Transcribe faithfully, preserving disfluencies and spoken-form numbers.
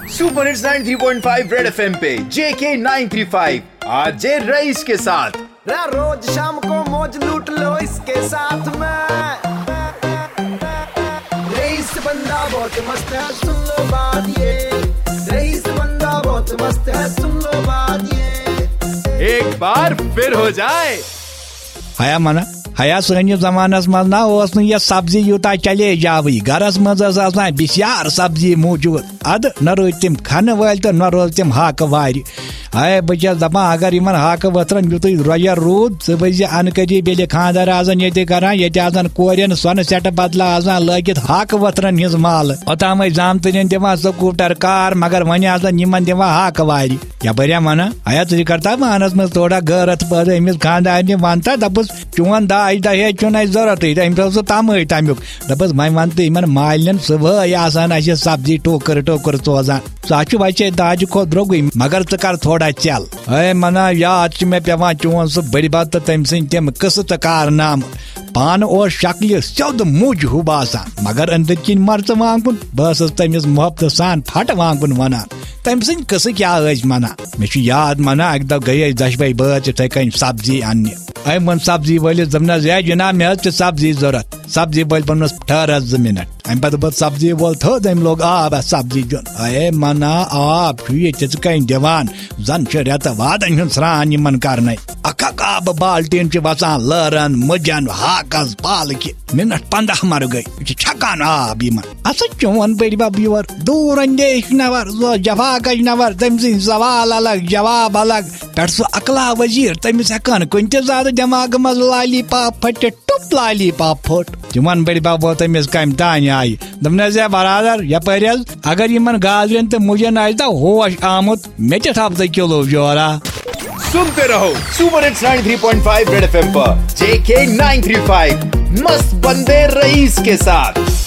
Super hits ninety three point five red FM पे J K nine three five, R J Raees के साथ। रा-, रोज शाम को मौज लूट लो इसके साथ में। रईस बंदा बहुत मस्त है, सुन लो बात ये। रईस बंदा बहुत मस्त है, सुन लो बात ये। एक बार फिर हो जाए। ہیا منہ، ہیا سٲنِس زمانس منٛز نہ اوس نہٕ یہِ سبزی یوٗتاہ چلے جاوٕے۔ گرس منٛز ٲس آسان بسیار سبزی موٗجوٗد۔ ادٕ نہ رٔٹۍ تِم کھنہٕ وٲلۍ تہٕ نہ روز تِم ہاکہٕ وارِ۔ اے، بہٕ چھَس دپان، اگر یِمن ہاکہٕ ؤتھرن یُتُے رۄیَر روٗد، ژٕ وٕچھ زِ انہٕ قریب ییٚلہِ خانٛدر آسن ییٚتہِ کران، ییٚتہِ آسن کورٮ۪ن سۄنہٕ سٮ۪ٹہٕ بدلہٕ آسان لٲگِتھ ہاکہٕ ؤتھرن ہٕنٛز مالہٕ۔ اوٚتام ٲسۍ زامتٕرٮ۪ن دِوان سکوٗٹر کار، مگر وۄنۍ آسن یِمن دِوان ہاکہٕ وارِ۔ یپٲرۍ ہا ونان، ہیا، ژٕ چھِ کرتا پانس منٛز تھوڑا غٲرتھ پٲدٕ؟ أمِس خانٛدارنہِ ونتا، دپُس، چون داج دہیج چھُنہٕ اَسہِ ضروٗرتٕے۔ تہٕ أمِس اوس سُہ تمٲے تمیُک۔ دپُس، وۄنۍ ون تہٕ یِمن مالٮ۪ن، صُبحٲے آسان اَسہِ سبزی ٹوکر ٹوکر سوزان۔ سُہ ہا چھُ ویسے داجہِ کھۄتہٕ درٛوگُے، مگر ژٕ کر تھوڑا ژٮ۪ل۔ اے منا، یاد چھِ مےٚ پٮ۪وان چون سُہ بٔڈِ بب تہٕ تٔمۍ سٕنٛدۍ تِم قٕصہٕ تہٕ کارنامہٕ۔ پانہٕ اوس شکلہِ سیوٚد مُج ہیوٗ باسان، مگر أنٛدٕرۍ کِنۍ مرژٕ وانٛگُن۔ بہٕ ٲسٕس تٔمِس محبتہٕ سان پھٹہٕ وانٛگُن ونان۔ تٔمۍ سٕنٛدۍ قٕصہٕ کیٛاہ ٲسۍ ونان؟ مےٚ چھُ یاد، منا، اَکہِ دۄہ گٔیے أسۍ دۄشوے بٲژ یِتھَے کٔنۍ سبزی اننہِ۔ أمۍ ووٚن سبزی وٲلِس، دوٚپنَس، "ہے جناب، مےٚ حظ چھِ سبزی ضوٚرَتھ۔" سبزی وٲلۍ ووٚنمَس، "ٹھٔہر حظ زٕ منٹ۔" اَمہِ پَتہٕ ووت سبزی وول تھوٚد، أمۍ لوگ آب اَتھ سبزی دیُن۔ اے منا، آب چھُ ییٚتہِ ژٕ کَنہِ دِوان؟ زَن چھِ رٮ۪تہٕ وادَن ہُنٛد سرٛان یِمَن کَرنَے۔ اَکھ اَکھ آبہٕ بالٹیٖن چھِ وَسان لٲرَن، مُجَن، ہاکَس، پالکہِ۔ مِنَٹ پنٛداہ مَرٕ گٔے، یہِ چھِ چھَکان آب یِمَن۔ اَسا چون بٔڈۍ بَب یور دوٗر اندیش نفر، سُہ اوس جفاکش نفر، تٔمۍ سٕنٛدۍ سوال الگ، جواب الگ۔ پٮ۪ٹھ سُہ اکلا وزیر، تٔمِس ہٮ۪کان کُنہِ تہِ زیادٕ دٮ۪ماغہٕ منٛز لالی پاپ پھٔٹِتھ، ٹُپ لالی پاپ پھوٚٹ۔ تِمن بٔڈۍ بب ووت تٔمِس کمہِ تانۍ آیہِ۔ دوٚپنس، "ہے برادر، یپٲرۍ حظ، اگر یِمن گازرٮ۪ن تہٕ مُجن آسہِ دا ہوش آمُت، مےٚ تہِ تھاو ژٕ کِلوٗ جورا۔" सुनते रहो super hits ninety three point five red FM पर जेके नाइन थ्री फ़ाइव, मस्त बंदे रईस के साथ।